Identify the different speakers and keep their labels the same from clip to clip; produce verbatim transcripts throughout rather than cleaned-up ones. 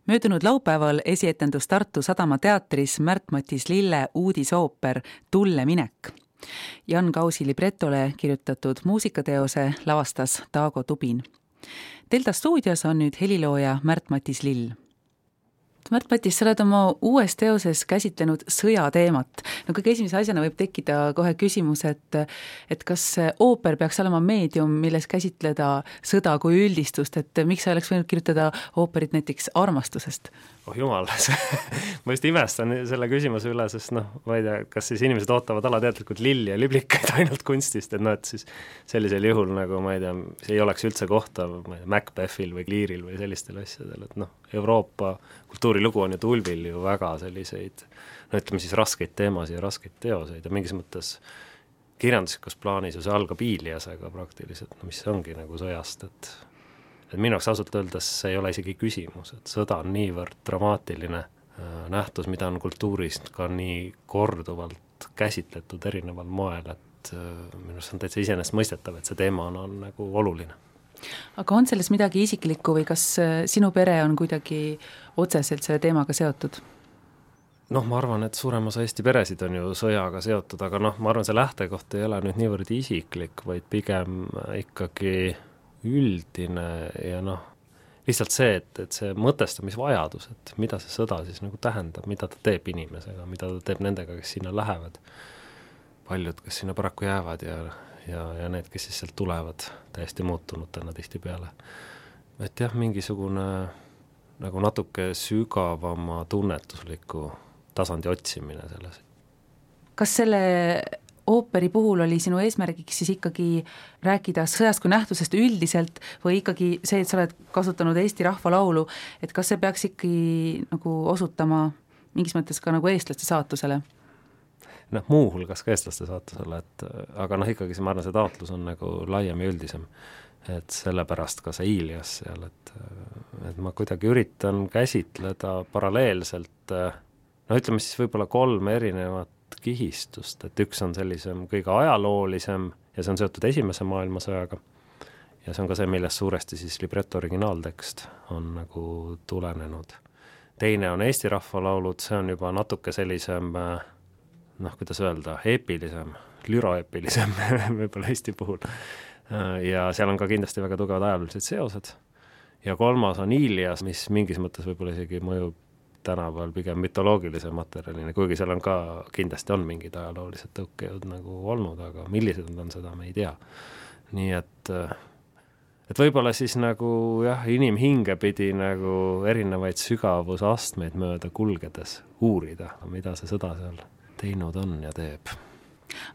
Speaker 1: Möödunud laupäeval esietendus Tartu Sadama teatris Märt-Matis Lille uudisooper Tulle minek. Jan Kausi libretole kirjutatud muusikateose lavastas Taago Tubin. Delta stuudios on nüüd helilooja Märt-Matis Lill. Märt-Matis, sa oled oma uues teoses käsitlenud sõjateemat. No kõige esimese asjana võib tekkida kohe küsimus, et, et kas ooper peaks olema meedium, milles käsitleda sõda kui üldistust, et miks sa oleks võinud kirjutada ooperit näiteks armastusest?
Speaker 2: Oh jumal, ma just imestan selle küsimuse üle, sest noh, ma ei tea, kas siis inimesed ootavad alateadlikult lilli ja liblikaid ainult kunstist, et noh, et siis sellisel juhul nagu ma ei tea, see ei oleks üldse kohta ma ei tea, Macbethil või Learil või sellistel asjadel, et noh, Euroopa kultuurilugu on ju tulvil ju väga selliseid, no ütleme siis raskeid teemasid ja raskeid teoseid ja mingis mõttes kirjanduslikus plaanis ju see algab Iiliasega praktiliselt, no mis ongi nagu sõjast, et et minu jaoks ausalt öeldes see ei ole isegi küsimus, et sõda on niivõrd dramaatiline nähtus, mida on kultuurist ka nii korduvalt käsitletud erineval moel, et minu arust on täitsa iseenesest mõistetav, et see teema on, on nagu oluline.
Speaker 1: Aga on selles midagi isiklikku või kas sinu pere on kuidagi otseselt selle teemaga seotud?
Speaker 2: Noh, ma arvan, et suurem osa Eesti peresid on ju sõjaga seotud, aga noh, ma arvan, see lähtekoht ei ole nüüd niivõrd isiklik, vaid pigem ikkagi üldine ja noh, lihtsalt see, et, et see mõtestamisvajadus, et mida see sõda siis nagu tähendab, mida ta teeb inimesega, mida ta teeb nendega, kes sinna lähevad. Paljud, kes sinna paraku jäävad ja, ja, ja need, kes siis sealt tulevad täiesti muutunud täna tihti peale. Et jah, mingisugune nagu natuke sügavama tunnetusliku tasandi otsimine selles.
Speaker 1: Kas selle ooperi puhul oli sinu eesmärgiks siis ikkagi rääkida sõjast kui nähtusest üldiselt või ikkagi see, et sa oled kasutanud Eesti rahvalaulu, et kas see peaks ikkagi nagu osutama mingis mõttes ka nagu eestlaste saatusele?
Speaker 2: Noh, muuhulgas ka eestlaste saatusele, et aga noh, ikkagi see, ma arvan, see taotlus on nagu laiem ja üldisem, et sellepärast ka see Iilias seal, et, et ma kuidagi üritan käsitleda paralleelselt, no ütleme siis võib-olla kolm erinevat kihistust, et üks on sellisem kõige ajaloolisem ja see on seotud esimese maailmasõjaga ja see on ka see, millest suuresti siis libreto originaaltekst on nagu tulenenud. Teine on Eesti rahvalaulud, see on juba natuke sellisem noh, kuidas öelda, eepilisem, lüroeepilisem võib-olla Eesti puhul ja seal on ka kindlasti väga tugevad ajaloolised seosed ja kolmas on Iilias, mis mingis mõttes võib-olla isegi mõjub tänapäeval pigem mütoloogilise materjalina, kuigi seal on ka, kindlasti on mingid ajaloolised tõukejõud nagu olnud, aga millised on seda, me ei tea. Nii et, et võib-olla siis nagu jah, inimhinge pidi nagu erinevaid sügavusastmeid mööda kulgedes uurida, mida see sõda seal teinud on ja teeb.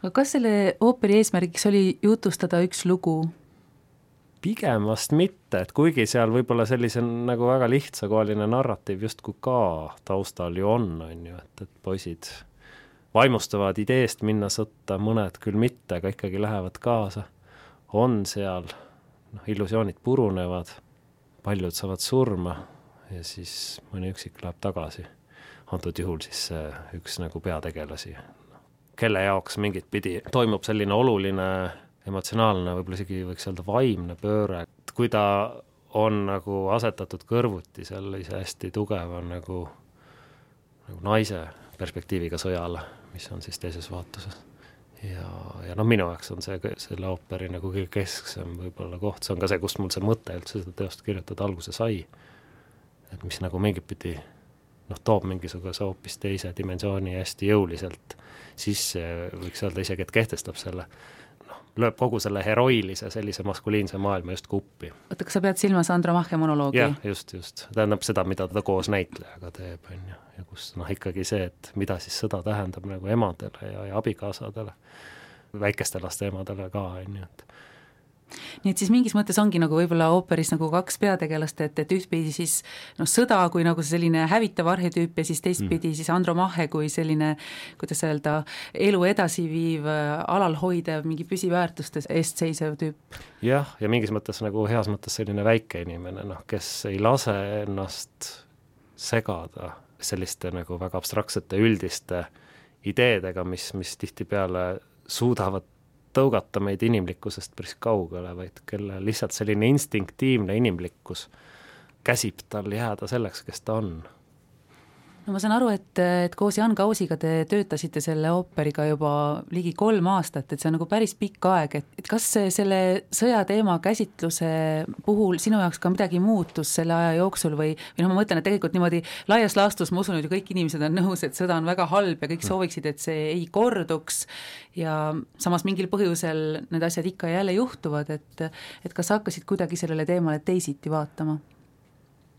Speaker 1: Aga kas selle ooperi eesmärgiks oli jutustada üks lugu?
Speaker 2: Pigem vast mitte, et kuigi seal võib-olla sellise nagu väga lihtsakohaline narratiiv justku ka taustal ju on, on ju, et, et poisid vaimustavad ideest minna sõtta, mõned küll mitte, aga ikkagi lähevad kaasa, on seal, noh, illusioonid purunevad, paljud saavad surma ja siis mõni üksik läheb tagasi. Antud juhul siis üks nagu peategelasi, kelle jaoks mingit pidi toimub selline oluline emotsionaalne, võib-olla isegi võiks öelda vaimne pööre, et kui ta on nagu asetatud kõrvuti sellise hästi tugeva nagu, nagu naise perspektiiviga sõjale, mis on siis teises vaatuses. Ja, ja noh, minu jaoks on see selle ooperi nagu kõige kesksem võib-olla koht, see on ka see, kust mul see mõte üldse seda teost kirjutada alguse sai, et mis nagu mingit pidi noh, toob mingisuguse hoopis teise dimensiooni hästi jõuliselt sisse, võiks öelda isegi, et kehtestab selle lööb kogu selle heroilise sellise maskuliinse maailma just kuppi.
Speaker 1: Oota, kas sa pead silmas Andro Mahhe monoloogi?
Speaker 2: Jah, just, just. Tähendab seda, mida ta koos näitlejaga teeb, on ju. Ja kus noh, ikkagi see, et mida siis sõda tähendab nagu emadele ja, ja abikaasadele, väikeste laste emadele ka, on ju, et
Speaker 1: Nii et siis mingis mõttes ongi nagu võib-olla ooperis nagu kaks peategelast, et, et ühtpidi siis no, sõda kui nagu selline hävitav arhetüüp ja siis teistpidi mm. siis Andro Mahhe kui selline, kuidas öelda, elu edasiviiv, alalhoidev, mingi püsiväärtustes eest seisev tüüp.
Speaker 2: Jah, ja mingis mõttes nagu heas mõttes selline väike inimene, noh, kes ei lase ennast segada selliste nagu väga abstraktsete üldiste ideedega, mis, mis tihtipeale suudavad tõugata meid inimlikkusest päris kaugele, vaid kelle lihtsalt selline instinktiivne inimlikkus käsib tal jääda selleks, kes ta on.
Speaker 1: No ma saan aru, et, et koos Jan Kausiga te töötasite selle ooperiga juba ligi kolm aastat, et see on nagu päris pikk aeg, et, et kas selle sõjateema käsitluse puhul sinu jaoks ka midagi muutus selle aja jooksul või, või noh, ma mõtlen, et tegelikult niimoodi laias laastus ma usun, et kõik inimesed on nõus, et sõda on väga halb ja kõik sooviksid, et see ei korduks ja samas mingil põhjusel need asjad ikka jälle juhtuvad, et, et kas sa hakkasid kuidagi sellele teemale teisiti vaatama?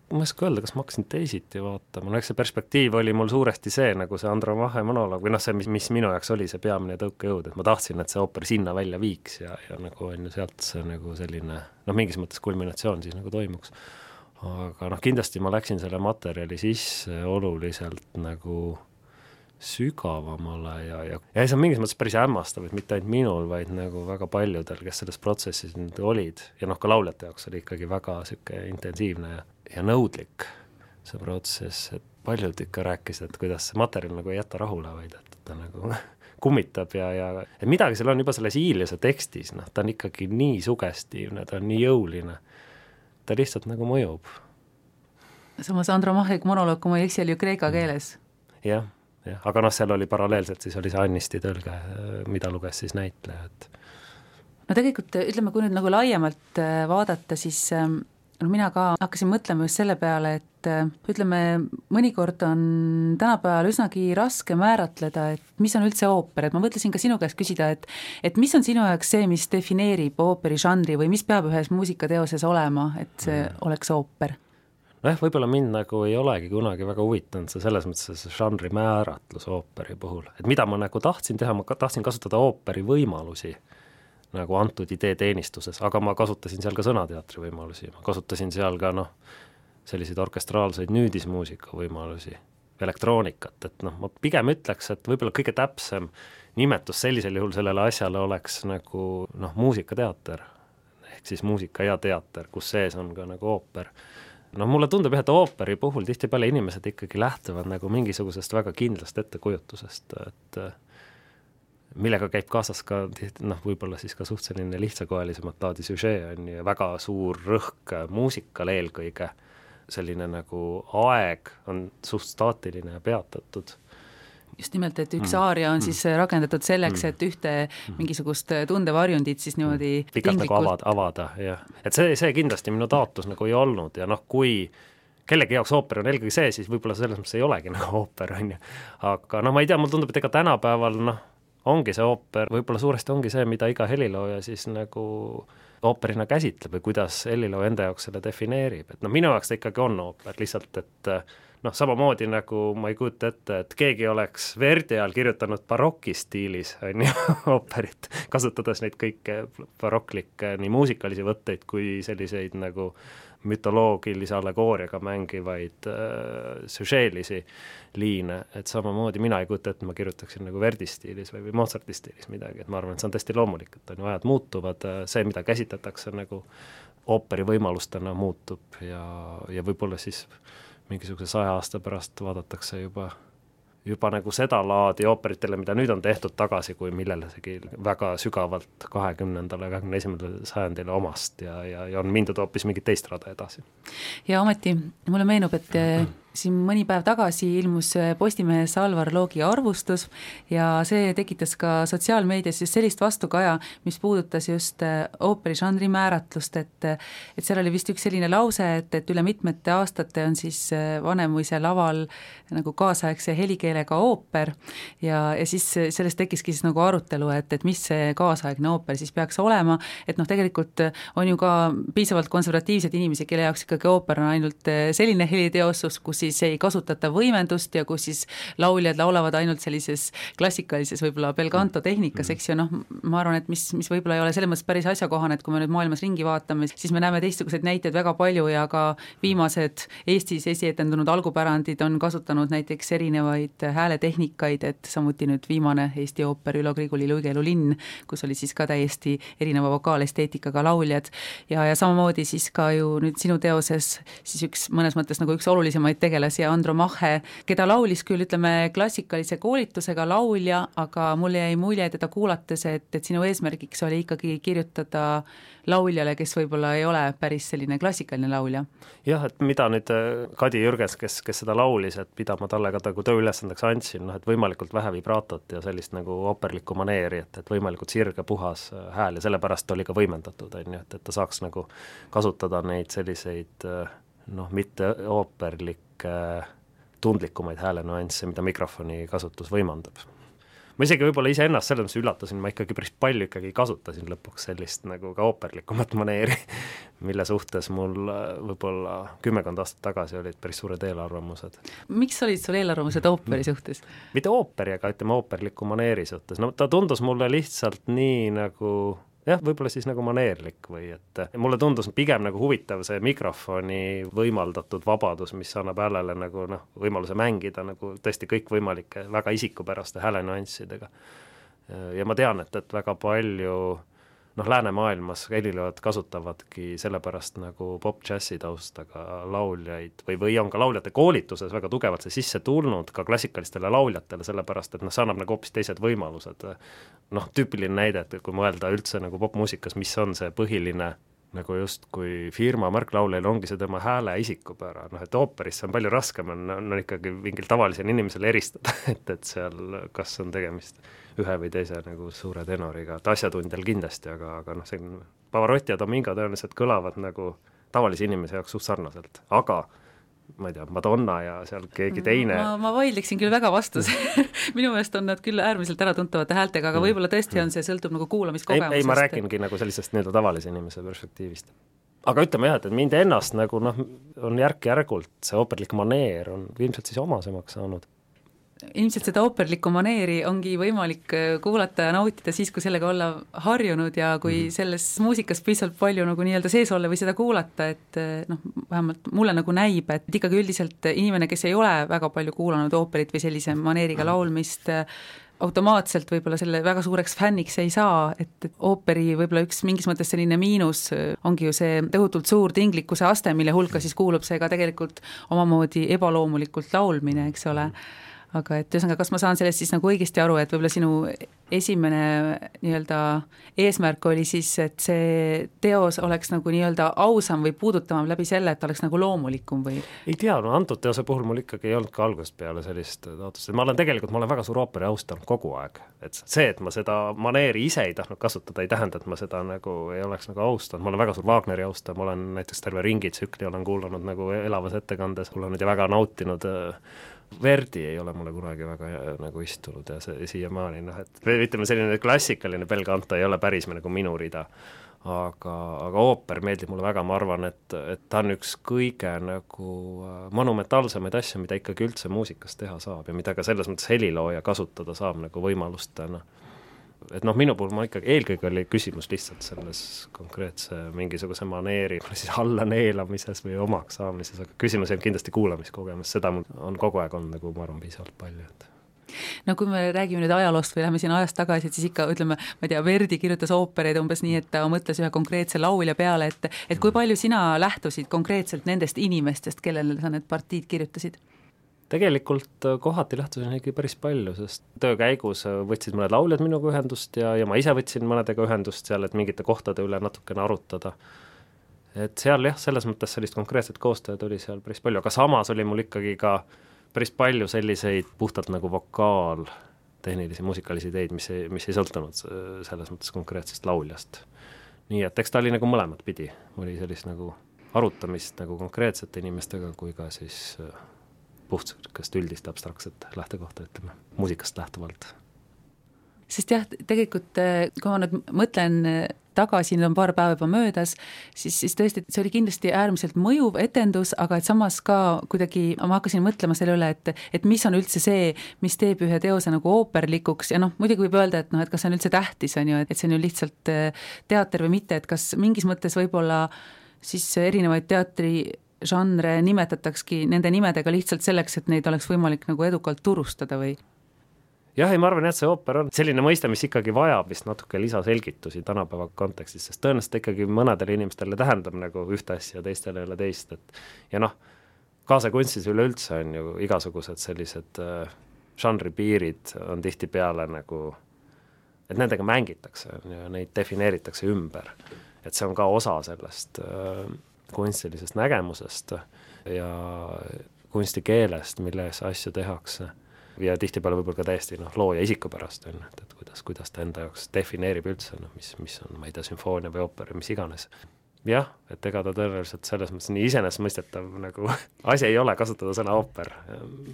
Speaker 2: Ma ei oska öelda, kas ma hakkasin teisiti vaatama, no eks see perspektiiv oli mul suuresti see, nagu see Andro Vahe monoloog, või noh, see, mis, mis minu jaoks oli see peamine tõukejõud, et ma tahtsin, et see ooper sinna välja viiks ja, ja nagu on ju sealt see nagu selline, noh, mingis mõttes kulminatsioon siis nagu toimuks. Aga noh, kindlasti ma läksin selle materjali sisse oluliselt nagu sügavamale ja, ja, ja see on mingis mõttes päris hämmastav, et mitte ainult minul, vaid nagu väga paljudel, kes selles protsessis nüüd olid ja noh, ka lauljate jaoks oli ikkagi väga siuke intensiivne ja, ja nõudlik see protsess, et paljud ikka rääkisid, et kuidas see materjal nagu ei jäta rahule, vaid et ta nagu kummitab ja, ja et midagi seal on juba selles Iiliuse tekstis, noh, ta on ikkagi nii sugestiivne, ta on nii jõuline, ta lihtsalt nagu mõjub.
Speaker 1: Samas Andro Mahek monoloog, kui ma ei eksi, oli ju kreeka keeles.
Speaker 2: Jah. Ja, aga noh, seal oli paralleelselt, siis oli see Annisti tõlge, mida luges siis näitleja. Et...
Speaker 1: No tegelikult, ütleme, kui nüüd nagu laiemalt vaadata, siis no mina ka hakkasin mõtlema just selle peale, et ütleme, mõnikord on tänapäeval üsnagi raske määratleda, et mis on üldse ooper, et ma mõtlesin ka sinu käest küsida, et, et mis on sinu jaoks see, mis defineerib ooperi žanri või mis peab ühes muusikateoses olema, et see mm. oleks ooper?
Speaker 2: Noh, võib-olla mind nagu ei olegi kunagi väga huvitanud see selles mõttes see žanri määratlus ooperi puhul, et mida ma nagu tahtsin teha, ma tahtsin kasutada ooperi võimalusi nagu antud idee teenistuses, aga ma kasutasin seal ka sõnateatri võimalusi, ma kasutasin seal ka noh, selliseid orkestraalseid nüüdismuusika võimalusi, elektroonikat, et noh, ma pigem ütleks, et võib-olla kõige täpsem nimetus sellisel juhul sellele asjale oleks nagu noh, muusikateater, ehk siis muusika ja teater, kus sees on ka nagu ooper. No mulle tundub, et ooperi puhul tihtipeale inimesed ikkagi lähtuvad nagu mingisugusest väga kindlast ettekujutusest, et millega käib kaasas ka noh, võib-olla siis ka suht selline lihtsakoelisemat laadi süžee on ja väga suur rõhk muusikal eelkõige, selline nagu aeg on suht staatiline ja peatatud.
Speaker 1: Just nimelt, et üks aaria on siis rakendatud selleks, et ühte mingisugust tundevarjundit siis niimoodi
Speaker 2: pikalt nagu avada, avada ja. Et see, see kindlasti minu taotlus nagu ei olnud ja noh, kui kellegi jaoks ooper on eelkõige see, siis võib-olla selles mõttes ei olegi nagu ooper on ju. Aga noh, ma ei tea, mul tundub, et ega tänapäeval noh, ongi see ooper, võib-olla suuresti ongi see, mida iga helilooja siis nagu ooperina käsitleb või kuidas helilooja enda jaoks selle defineerib. Et noh, minu jaoks ta ikkagi on ooper, lihtsalt, et noh, samamoodi nagu ma ei kujuta ette, et keegi oleks Verdi ajal kirjutanud barokistiilis on ju, ooperit, kasutades neid kõike baroklikke nii muusikalisi võtteid kui selliseid nagu mütoloogilise allegooriaga mängivaid äh, süžeelisi liine, et samamoodi mina ei kujuta ette, ma kirjutaksin nagu Verdi stiilis või, või Mozarti stiilis midagi, et ma arvan, et see on tõesti loomulik, et on ju ajad muutuvad, see, mida käsitletakse nagu ooperi võimalustena muutub ja, ja võib-olla siis mingisuguse saja aasta pärast vaadatakse juba, juba nagu seda laadi ooperitele, mida nüüd on tehtud tagasi, kui millelegi väga sügavalt kahekümnendale, kahekümne esimesele sajandile omast ja, ja, ja on mindud hoopis mingit teist rada edasi.
Speaker 1: Ja ometi mulle meenub, et siin mõni päev tagasi ilmus Postimehes Alvar Loogi arvustus ja see tekitas ka sotsiaalmeedias just sellist vastukaja, mis puudutas just ooperi žanri määratlust, et, et seal oli vist üks selline lause, et, et üle mitmete aastate on siis Vanemuise laval nagu kaasaegse helikeelega ooper ja, ja siis sellest tekkiski siis nagu arutelu, et, et mis see kaasaegne ooper siis peaks olema, et noh, tegelikult on ju ka piisavalt konservatiivsed inimesi, kelle jaoks ikkagi ooper on ainult selline heliteosus, kus siis ei kasutata võimendust ja kus siis lauljad laulavad ainult sellises klassikalises võib-olla belcanto tehnikas, eks ju, noh, ma arvan, et mis, mis võib-olla ei ole selles mõttes päris asjakohane, et kui me nüüd maailmas ringi vaatame, siis me näeme teistsuguseid näiteid väga palju ja ka viimased Eestis esietendunud algupärandid on kasutanud näiteks erinevaid hääletehnikaid, et samuti nüüd viimane Eesti ooper Ülo Griguli Luigelu linn, kus oli siis ka täiesti erineva vokaalesteetikaga lauljad ja, ja samamoodi siis ka ju nüüd sinu teoses siis üks mõnes mõttes nagu üks olulisemaid tegevus peategelasi Andromache, keda laulis küll, ütleme, klassikalise koolitusega laulja, aga mulle jäi mulje teda kuulates, et, et sinu eesmärgiks oli ikkagi kirjutada lauljale, kes võib-olla ei ole päris selline klassikaline laulja.
Speaker 2: Jah, et mida nüüd Kadi Jürgens, kes, kes seda laulis, et mida ma talle ka nagu tööülesandeks andsin, noh, et võimalikult vähe vibratot ja sellist nagu ooperlikku maneeri, et, et võimalikult sirge puhas hääl ja sellepärast oli ka võimendatud, on ju, et, et ta saaks nagu kasutada neid selliseid noh, mitte ooperlikke tundlikumaid häälenüansse, mida mikrofoni kasutus võimandab. Ma isegi võib-olla ise ennast selles mõttes üllatasin, ma ikkagi päris palju ikkagi kasutasin lõpuks sellist nagu ka ooperlikumat maneeri, mille suhtes mul võib-olla kümmekond aastat tagasi olid päris suured eelarvamused.
Speaker 1: Miks olid sul eelarvamused ooperi suhtes?
Speaker 2: Mitte ooperi, aga ütleme ooperliku maneeri suhtes. No ta tundus mulle lihtsalt nii nagu jah, võib-olla siis nagu maneerlik või et mulle tundus pigem nagu huvitav see mikrofoni võimaldatud vabadus, mis annab häälele nagu noh, võimaluse mängida nagu tõesti kõikvõimalike väga isikupäraste häälenüanssidega. Ja ma tean, et, et väga palju noh, läänemaailmas helilööjad kasutavadki sellepärast nagu pop-džässi taustaga lauljaid või, või on ka lauljate koolituses väga tugevalt see sisse tulnud ka klassikalistele lauljatele, sellepärast et noh, see annab nagu hoopis teised võimalused. Noh, tüüpiline näide, et kui mõelda üldse nagu popmuusikas, mis on see põhiline nagu just kui firma märklauljail ongi see tema hääle isikupära, noh et ooperis see on palju raskem, on, on ikkagi mingil tavalisel inimesel eristada, et, et seal kas on tegemist ühe või teise nagu suure tenoriga, et asjatundjal kindlasti, aga, aga noh, see Pavarotti ja Domingo tõenäoliselt kõlavad nagu tavalise inimese jaoks suht sarnaselt, aga ma ei tea, Madonna ja seal keegi teine.
Speaker 1: Ma, ma vaidleksin küll väga vastus. Minu meelest on nad küll äärmiselt äratuntavate häältega, aga võib-olla tõesti on see, sõltub nagu kuulamiskogemusest.
Speaker 2: Ei, ei, ma rääkingi nagu sellisest nii-öelda tavalise inimese perspektiivist. Aga ütleme jah, et mind ennast nagu noh, on järk-järgult see ooperlik maneer on ilmselt siis omasemaks saanud.
Speaker 1: Ilmselt seda ooperlikku maneeri ongi võimalik kuulata ja nautida siis, kui sellega olla harjunud ja kui mm. selles muusikas piisavalt palju nagu nii-öelda sees olla või seda kuulata, et noh, vähemalt mulle nagu näib, et ikkagi üldiselt inimene, kes ei ole väga palju kuulanud ooperit või sellise maneeriga laulmist, automaatselt võib-olla selle väga suureks fänniks ei saa, et ooperi võib-olla üks mingis mõttes selline miinus ongi ju see tõhutult suur tinglikkuse aste, mille hulka siis kuulub see ka tegelikult omamoodi ebaloomulikult laulmine, eks ole. Aga et ühesõnaga, kas ma saan sellest siis nagu õigesti aru, et võib-olla sinu esimene nii-öelda eesmärk oli siis, et see teos oleks nagu nii-öelda ausam või puudutavam läbi selle, et oleks nagu loomulikum või?
Speaker 2: Ei tea, no antud teose puhul mul ikkagi ei olnud ka algusest peale sellist taotlust. Ma olen tegelikult, ma olen väga suur ooperi austanud kogu aeg. Et see, et ma seda maneeri ise ei tahtnud kasutada, ei tähenda, et ma seda nagu ei oleks nagu austanud. Ma olen väga suur Wagneri austaja, ma olen näiteks terve ringi tsükli olen kuulanud nagu elavas ettekandes, kuulanud ja väga nautinud. Verdi ei ole mulle kunagi väga nagu istunud ja see siiamaani, noh, et ütleme selline klassikaline bel canto ei ole päris nagu minu rida, aga, aga ooper meeldib mulle väga, ma arvan, et, et ta on üks kõige nagu monumentaalsemaid asju, mida ikkagi üldse muusikas teha saab ja mida ka selles mõttes helilooja kasutada saab nagu võimalustena. Et noh, minu puhul ma ikkagi, eelkõige oli küsimus lihtsalt selles konkreetse mingisuguse maneeri siis alla neelamises või omaks saamises, aga küsimus ei kindlasti kuulamiskogemus, seda on kogu aeg olnud nagu ma arvan piisavalt palju. Et.
Speaker 1: No kui me räägime nüüd ajaloost või läheme siin ajast tagasi, et siis ikka ütleme, ma ei tea, Verdi kirjutas oopereid umbes nii, et ta mõtles ühe konkreetse laulja peale, et, et kui palju sina lähtusid konkreetselt nendest inimestest, kellele sa need partiid kirjutasid?
Speaker 2: Tegelikult kohati lähtusin ikkagi päris palju, sest töö käigus võtsid mõned lauljad minuga ühendust ja, ja ma ise võtsin mõnedega ühendust seal, et mingite kohtade üle natukene arutada. Et seal jah, selles mõttes sellist konkreetset koostööd oli seal päris palju, aga samas oli mul ikkagi ka päris palju selliseid puhtalt nagu vokaal, tehnilisi, muusikalisi ideid, mis ei, mis ei sõltunud selles mõttes konkreetsest lauljast. Nii et eks ta oli nagu mõlemat pidi, oli sellist nagu arutamist nagu konkreetsete inimestega kui ka siis puhtalt üldist abstraktset lähtekohta, ütleme, muusikast lähtuvalt.
Speaker 1: Sest jah, tegelikult kui ma nüüd mõtlen tagasi, nüüd on paar päeva juba möödas, siis, siis tõesti, see oli kindlasti äärmiselt mõjuv etendus, aga et samas ka kuidagi, ma hakkasin mõtlema selle üle, et, et mis on üldse see, mis teeb ühe teose nagu ooperlikuks ja noh, muidugi võib öelda, et noh, et kas see on üldse tähtis, on ju, et see on ju lihtsalt teater või mitte, et kas mingis mõttes võib-olla siis erinevaid teatri žanre nimetatakski nende nimedega lihtsalt selleks, et neid oleks võimalik nagu edukalt turustada või?
Speaker 2: Jah, ei, ma arvan, et see ooper on selline mõiste, mis ikkagi vajab vist natuke lisaselgitusi tänapäeva kontekstis, sest tõenäoliselt ikkagi mõnedele inimestele tähendab nagu ühte asja, teistele ei ole teist. Et, ja noh, kaasakunstis üleüldse on ju igasugused sellised äh, žanripiirid on tihtipeale nagu, et nendega mängitakse ja neid defineeritakse ümber. Et see on ka osa sellest äh, kunstilisest nägemusest ja kunstikeelest, milles asju tehakse. Ja tihtipeale võib-olla ka täiesti noh, looja isikupärast on, et, et kuidas, kuidas ta enda jaoks defineerib üldse, no, mis, mis on, ma ei tea, sümfoonia või ooper, mis iganes. Jah, et ega ta tõenäoliselt selles mõttes nii iseenesestmõistetav nagu asi ei ole kasutada sõna ooper.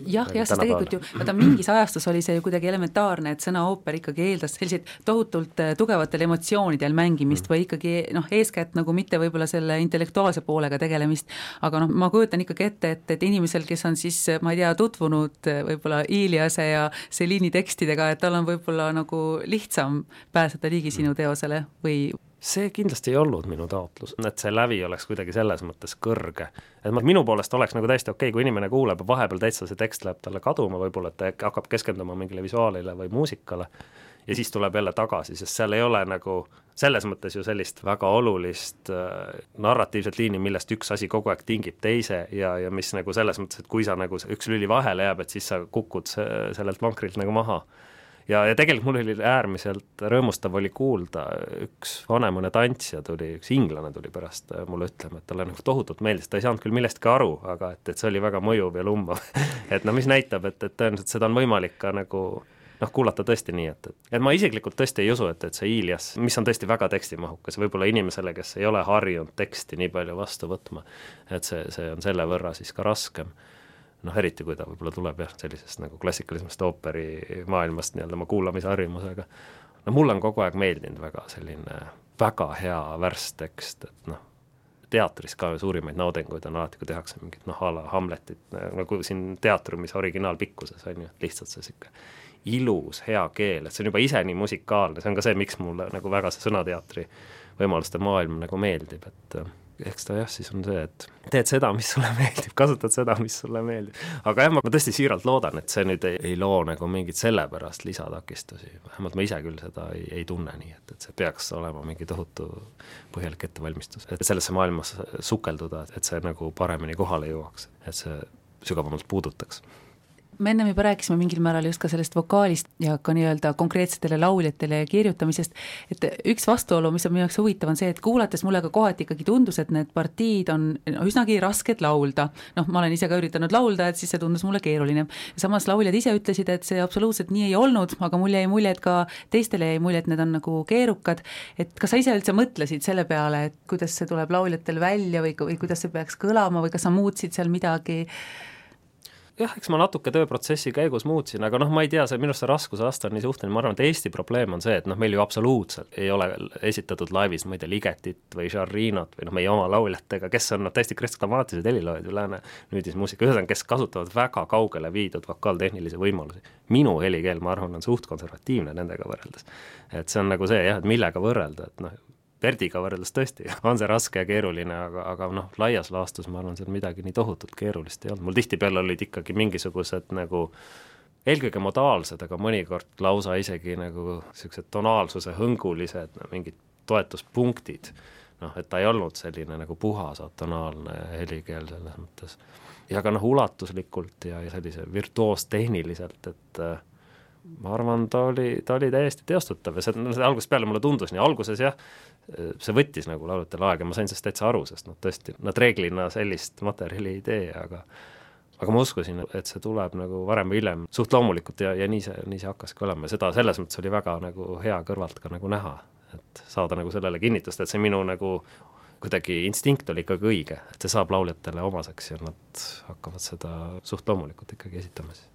Speaker 1: Jah, jah, sest tegelikult ju, vaata mingis ajastus oli see ju kuidagi elementaarne, et sõna ooper ikkagi eeldas selliseid tohutult tugevatel emotsioonidel mängimist mm. või ikkagi noh, eeskätt nagu mitte võib-olla selle intellektuaalse poolega tegelemist, aga noh, ma kujutan ikkagi ette, et, et inimesel, kes on siis, ma ei tea, tutvunud võib-olla Iliase ja Celine'i tekstidega, et tal on võib-olla nagu lihtsam pääseda ligi sinu teosele või
Speaker 2: see kindlasti ei olnud minu taotlus, et see lävi oleks kuidagi selles mõttes kõrge. Et ma, minu poolest oleks nagu täiesti okei, kui inimene kuuleb ja vahepeal täitsa see tekst läheb talle kaduma, võib-olla et ta hakkab keskenduma mingile visuaalile või muusikale ja siis tuleb jälle tagasi, sest seal ei ole nagu selles mõttes ju sellist väga olulist äh, narratiivset liini, millest üks asi kogu aeg tingib teise ja, ja mis nagu selles mõttes, et kui sa nagu üks lüli vahele jääb, et siis sa kukud sellelt vankrilt nagu maha. Ja, ja tegelikult mul oli äärmiselt rõõmustav oli kuulda, üks vanemune tantsija tuli, üks inglane tuli pärast mulle ütlema, et talle nagu tohutult meeldis, ta ei saanud küll millestki aru, aga et, et see oli väga mõjuv ja lumbav. et no mis näitab, et, et tõenäoliselt seda on võimalik ka nagu noh, kuulata tõesti nii, et, et, et ma isiklikult tõesti ei usu, et, et see Ilias, mis on tõesti väga tekstimahukas, võib-olla inimesele, kes ei ole harjunud teksti nii palju vastu võtma, et see, see on selle võrra siis ka raskem. Noh, eriti kui ta võib-olla tuleb jah, sellisest nagu klassikalismast ooperi maailmast nii-öelda oma kuulamise harjumusega. No mul on kogu aeg meeldinud väga selline väga hea värstekst, et noh, teatris ka suurimaid naudinguid on alati, kui tehakse mingit noh, ala Hamletit, nagu siin teatrumis originaalpikkuses on ju, lihtsalt see siuke ilus, hea keel, et see on juba ise nii musikaalne, see on ka see, miks mulle nagu väga see sõnateatri võimaluste maailm nagu meeldib, et eks ta jah, siis on see, et teed seda, mis sulle meeldib, kasutad seda, mis sulle meeldib. Aga jah, ma tõesti siiralt loodan, et see nüüd ei, ei loo nagu mingit sellepärast lisatakistusi. Vähemalt ma ise küll seda ei, ei tunne nii, et, et see peaks olema mingi tohutu põhjalik ettevalmistus. Et sellesse maailmas sukelduda, et see nagu paremini kohale jõuaks, et see sügavamalt puudutaks.
Speaker 1: Me ennem juba rääkisime mingil määral just ka sellest vokaalist ja ka nii-öelda konkreetsetele lauljatele kirjutamisest, et üks vastuolu, mis on minu jaoks huvitav, on see, et kuulates mulle ka kohati ikkagi tundus, et need partiid on üsnagi rasked laulda. Noh, ma olen ise ka üritanud laulda, et siis see tundus mulle keeruline. Samas lauljad ise ütlesid, et see absoluutselt nii ei olnud, aga mulle jäi mulje, et ka teistele jäi mulje, et need on nagu keerukad. Et kas sa ise üldse mõtlesid selle peale, et kuidas see tuleb lauljatel välja või, või kuidas see peaks kõlama või kas sa muutsid seal midagi?
Speaker 2: Jah, eks ma natuke tööprotsessi käigus muutsin, aga noh, ma ei tea, see minu see raskuse aasta on nii suhteline, ma arvan, et Eesti probleem on see, et noh, meil ju absoluutselt ei ole esitatud laivis, ma ei tea, Ligetit või Žarrinot või noh, meie oma lauljatega, kes on noh, täiesti kristklamaatilised heliloojad või lääne nüüdismuusika, ühesõnaga, kes kasutavad väga kaugele viidud vokaaltehnilisi võimalusi. Minu helikeel, ma arvan, on suht konservatiivne nendega võrreldes. Et see on nagu see jah, et millega võrrelda, et noh, Verdiga võrreldes tõesti on see raske ja keeruline, aga, aga noh, laias laastus ma arvan, seal midagi nii tohutult keerulist ei olnud. Mul tihtipeale olid ikkagi mingisugused nagu eelkõige modaalsed, aga mõnikord lausa isegi nagu sellised tonaalsuse hõngulised no, mingid toetuspunktid. Noh, et ta ei olnud selline nagu puhas atonaalne helikeel selles mõttes. Ja ka noh, ulatuslikult ja, ja sellise virtuoos tehniliselt, et ma arvan, ta oli, ta oli täiesti teostatav ja see, no, see algusest peale mulle tundus nii. Alguses jah, see võttis nagu laulutel aega, ma sain sellest täitsa aru, sest nad tõesti, nad reeglina sellist materjali ei tee, aga, aga ma uskusin, et see tuleb nagu varem või hiljem suht loomulikult ja, ja nii see, nii see hakkaski olema. Seda selles mõttes oli väga nagu hea kõrvalt ka nagu näha, et saada nagu sellele kinnitust, et see minu nagu kuidagi instinkt oli ikkagi õige, et see saab lauljatele omaseks ja nad hakkavad seda suht loomulikult ikkagi esitama siis.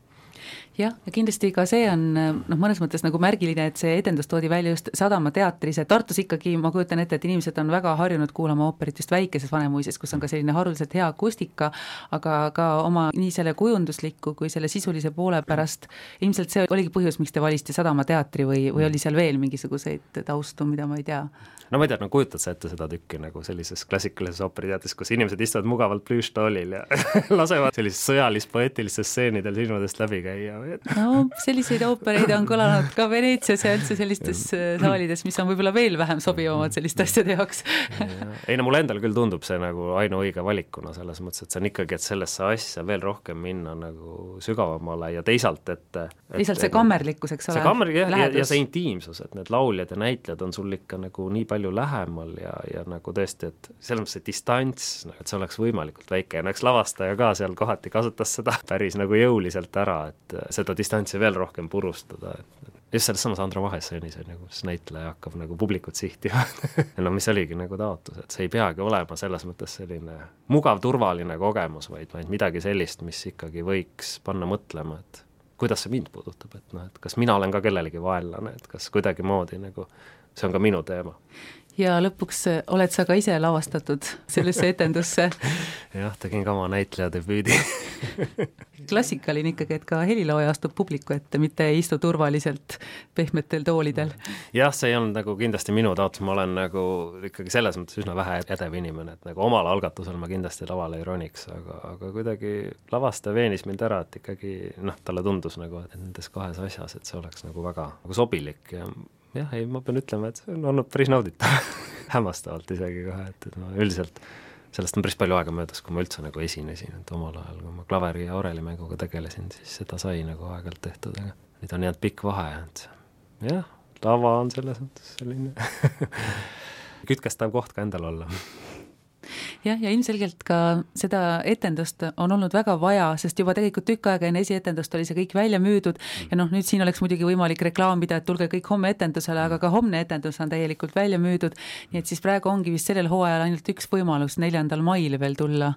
Speaker 1: Jah, ja kindlasti ka see on noh, mõnes mõttes nagu märgiline, et see edendus toodi välja just Sadama teatris, et Tartus ikkagi ma kujutan ette, et inimesed on väga harjunud kuulama ooperit just väikeses Vanemuises, kus on ka selline haruliselt hea akustika, aga ka oma nii selle kujundusliku kui selle sisulise poole pärast ilmselt see oligi põhjus, miks te valisite Sadama teatri või, või oli seal veel mingisuguseid taustu, mida ma ei tea?
Speaker 2: No ma ei tea, no kujutad sa ette seda tükki nagu sellises klassikalises ooperiteatris, kus inimesed istuvad mugavalt plüüštoolil ja lasevad sellises sõjalis-poeetilistes stseenidel silmadest läbi käia või?
Speaker 1: No selliseid oopereid on kõlanud ka Veneetsias ja üldse sellistes saalides, mis on võib-olla veel vähem sobivamad selliste asjade jaoks.
Speaker 2: Ei no mulle endal küll tundub see nagu ainuõige valikuna selles mõttes, et see on ikkagi, et sellesse asja veel rohkem minna nagu sügavamale ja teisalt, et, et
Speaker 1: teisalt see kammerlikkus, eks ole?
Speaker 2: See kammer ja, ja, ja see intiimsus, et need lauljad ja näitlejad on sul ikka nagu nii palju lähemal ja, ja nagu tõesti, et selles mõttes see distants, et see oleks võimalikult väike ja näeks lavastaja ka seal kohati kasutas seda päris nagu jõuliselt ära, et seda distantsi veel rohkem purustada, et just selles samas Andra Vahesõnis on nagu, kus näitleja hakkab nagu publikut sihtima no mis oligi nagu taotlus, et see ei peagi olema selles mõttes selline mugav, turvaline kogemus, vaid, vaid midagi sellist, mis ikkagi võiks panna mõtlema, et kuidas see mind puudutab, et noh, et kas mina olen ka kellelegi vaenlane, et kas kuidagi moodi nagu see on ka minu teema.
Speaker 1: Ja lõpuks oled sa ka ise lavastatud sellesse etendusse?
Speaker 2: jah, tegin ka oma näitleja debüüdi.
Speaker 1: Klassikaline ikkagi, et ka helilooja astub publiku ette, mitte ei istu turvaliselt pehmetel toolidel.
Speaker 2: jah, see ei olnud nagu kindlasti minu taotlus, ma olen nagu ikkagi selles mõttes üsna vähe edev inimene, et nagu omal algatusel ma kindlasti lavale ei roniks, aga, aga kuidagi lavastaja veenis mind ära, et ikkagi noh, talle tundus nagu, et nendes kahes asjas, et see oleks nagu väga nagu sobilik ja jah, ei, ma pean ütlema, et see on olnud päris nauditav hämmastavalt isegi kohe, et, et ma üldiselt sellest on päris palju aega möödas, kui ma üldse nagu esinesin, et omal ajal, kui ma klaveri ja orelimänguga tegelesin, siis seda sai nagu aegalt tehtud, aga nüüd on jäänud pikk vahe, et jah, lava on selles mõttes selline kütkestav koht ka endal olla.
Speaker 1: jah, ja ilmselgelt ka seda etendust on olnud väga vaja, sest juba tegelikult tükk aega enne esietendust oli see kõik välja müüdud ja noh, nüüd siin oleks muidugi võimalik reklaamida, et tulge kõik homme etendusele, aga ka homne etendus on täielikult välja müüdud, nii et siis praegu ongi vist sellel hooajal ainult üks võimalus neljandal mail veel tulla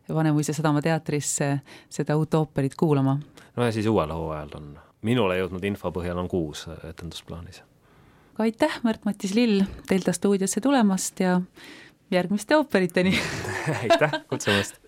Speaker 1: Vanemuise Sadama teatrisse seda uut ooperit kuulama.
Speaker 2: No ja siis uuel hooajal on, minule jõudnud info põhjal on kuus etendusplaanis.
Speaker 1: Aitäh, Märt-Matis Lill, Delta stuudiosse tulemast ja järgmiste ooperiteni.
Speaker 2: Aitäh kutsumast.